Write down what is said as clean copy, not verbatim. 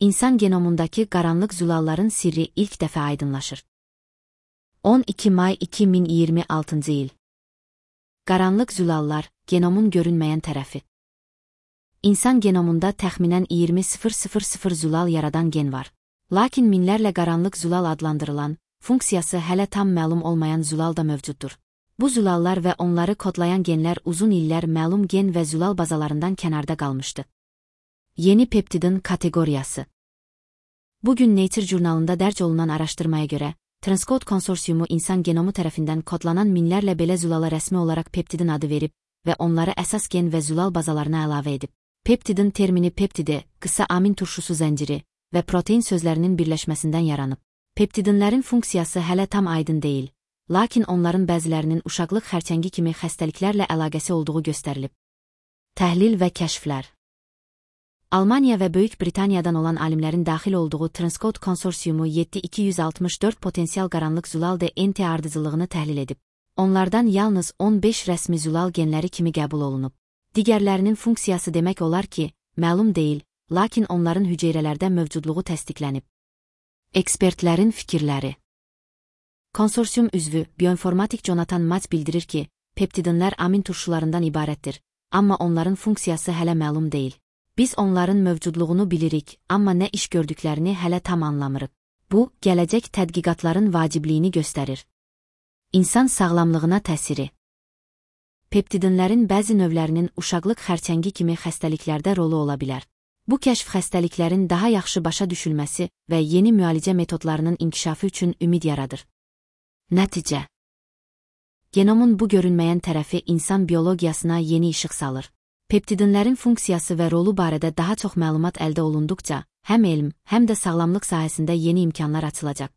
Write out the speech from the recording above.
İnsan genomundaki qaranlıq zülalların sirri ilk dəfə aydınlaşır. 12 may 2026 il. Qaranlıq zülallar, genomun görünməyən tərəfi. İnsan genomunda təxminən 20.000 zülal yaradan gen var. Lakin minlərlə qaranlıq zülal adlandırılan, funksiyası hələ tam məlum olmayan zülal da mövcuddur. Bu zülallar və onları kodlayan genlər uzun illər məlum gen və zülal bazalarından kənarda qalmışdı. Yeni peptidin kateqoriyası. Bugün Nature jurnalında dərc olunan araşdırmaya görə, Transcode konsorsiumu insan genomu tərəfindən kodlanan minlərlə belə zülala rəsmi olaraq peptidin adı verib və onları əsas gen və zülal bazalarına əlavə edib. Peptidin termini peptidi, qısa amin turşusu zənciri və protein sözlərinin birləşməsindən yaranıb. Peptidinlərin funksiyası hələ tam aydın deyil, lakin onların bəzilərinin uşaqlıq xərçəngi kimi xəstəliklərlə əlaqəsi olduğu göstərilib. Təhlil və kəşflər. Almaniya və Böyük Britaniyadan olan alimlərin daxil olduğu Transcode konsorsiumu 7264 potensial qaranlıq zülal DNT ardıcıllığını təhlil edib. Onlardan yalnız 15 rəsmi zülal genləri kimi qəbul olunub. Digərlərinin funksiyası demək olar ki, məlum deyil, lakin onların hüceyrələrdə mövcudluğu təsdiqlənib. Ekspertlərin fikirləri. Konsorsium üzvü, bioinformatik Jonathan Matz bildirir ki, peptidinlər amin turşularından ibarətdir, amma onların funksiyası hələ məlum deyil. Biz onların mövcudluğunu bilirik, amma nə iş gördüklərini hələ tam anlamırıq. Bu, gələcək tədqiqatların vacibliyini göstərir. İnsan sağlamlığına təsiri. Peptidinlərin bəzi növlərinin uşaqlıq xərçəngi kimi xəstəliklərdə rolu ola bilər. Bu kəşf xəstəliklərin daha yaxşı başa düşülməsi və yeni müalicə metodlarının inkişafı üçün ümid yaradır. Nəticə. Genomun bu görünməyən tərəfi insan biologiyasına yeni işıq salır. Peptidinlərin funksiyası və rolu barədə daha çox məlumat əldə olunduqca, həm elm, həm də sağlamlıq sahəsində yeni imkanlar açılacaq.